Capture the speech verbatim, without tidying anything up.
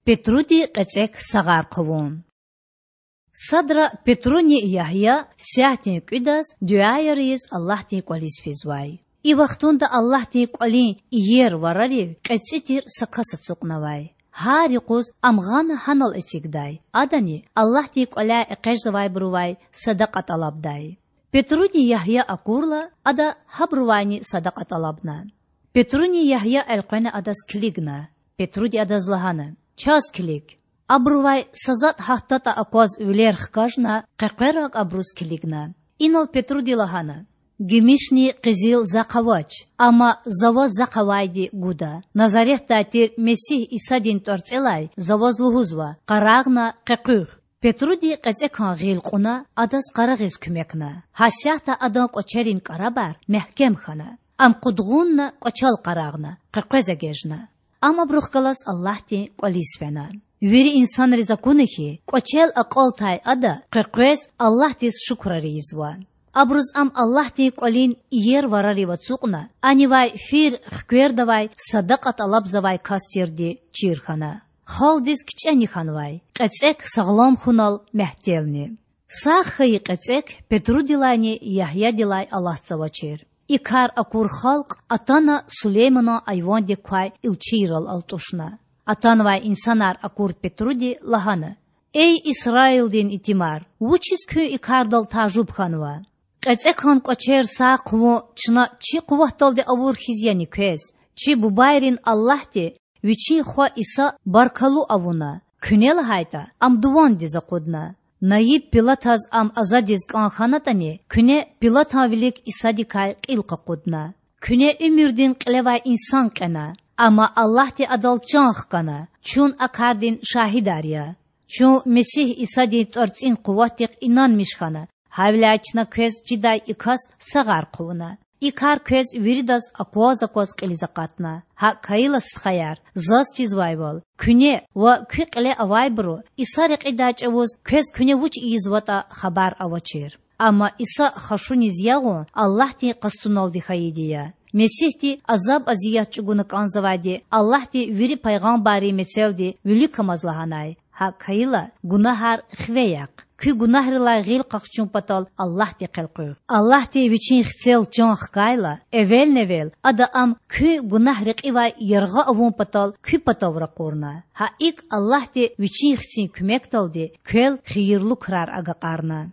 Петруди кьецӀек сагъар хъувун. Садра Петруни Ягья сятдин кІуьдаз дуьаяр ийиз Аллагьдин кІвализ физвай. И вахтунда Аллагьдин кІвалин иер варарив кьецІи тир са кас ацукьнавай. Гьар юкъуз ам гъана гьанал эцигдай, адани Аллагьдин кІваляй экъечІзавайбурувай садакьа тІалабдай. Петруни Ягья акурла, ада гьабурувайни садакьа тІалабна. Петруни Ягья элкъвена адаз килигна. Петруди адаз лагьана: Чаз килиг. Абурувай са затІ гьатдатІа акваз вилер хкажна, къекъвераг абуруз килигна. Инал Петруди лагьана: Гимишни къизил захъ авач, амма за ваз захъ авайди гуда: Назаретдай тир Месигь Исадин тІварцІелай за ваз лугьузва: къарагъна, къекъуьгъ. Петруди кьецІекан гъил кьуна, адаз къарагъиз куьмекна. Гьасятда адан кІвачерин кІарабар мягькем хьана. Ам къудгъунна кІвачел къарагъна, къекъвез эгечІна. Ам абурухъ галаз Аллагьдин кІвализ фена. Вири инсанриз акуна хьи, кІвачел акьалтай ада къекъвез Аллагьдиз шукурар ийизва. Абуруз ам Аллагьдин кІвалин иер варарив ацукьна, анивай фир хквердавай садакьа тІалабзавай кас тирди чир хьана. Халкьдиз кичІени хьанвай, кьецІек сагълам хьунал мягьтелни. Сагъ хьайи кьецІек Петрудилайни Ягьядилай алатзавачир. И кар акур халкь атана Сулейманан айвандик квай илчийрал алтІушна. Атанвай инсанар акур Петруди лагьана: Эй Исраилдин итимар, вучиз куьн и кардал тажуб хьанва? КьецІекан кІвачер сагъ хъувун чна чи къуватдалди авур хьиз яни квез? Чи бубайрин Аллагьди Вичин Хва Иса баркаллу авуна, куьне лагьайтІа, Ам дувандиз акъудна. Наиб Пилатаз Ам азадиз кІан хьанатІани, куьне Пилатан вилик Исадикай кьил къакъудна. Куьне уьмуьрдин кьилевай инсан кьена, амма Аллагьди Адал чан хкана, чун а кардин шагьидар я. Чун Месигь Исадин тІварцІин къуватдихъ инанмиш хьана, гьавиляй чна квез чидай и кас сагъар хъувуна. И кар квез виридаз акваз-акваз кьилиз акъатна. ГьакІ хьайила, стхаяр, заз чизвайвал, куьне ва куь кьиле авайбуру Иса рекьидай чІавуз квез куьне вуч ийизватІа хабар авачир. Амма Иса хашуниз ягъун Аллагьдин къастуналди хьайиди я. Месигьди азаб-азият чІугуна кІанзавайди Аллагьди вири пайгъамбаррин мецелди виликамаз лагьанай: гьакІ хьайила, гунагьар хиве яхъ. Куь гунагьрилай гъил къахчун патал Аллагьдихъ элкъуьгъ. Аллагьди Вичин Хцел чан хкайла, эвелни-эвел Ада Ам куь гунагь рекьивай яргъа авун патал куь патав ракъурна. Гьа икІ Аллагьди Вичин Хцин куьмекдалди квел хийирлу крар агакьарна.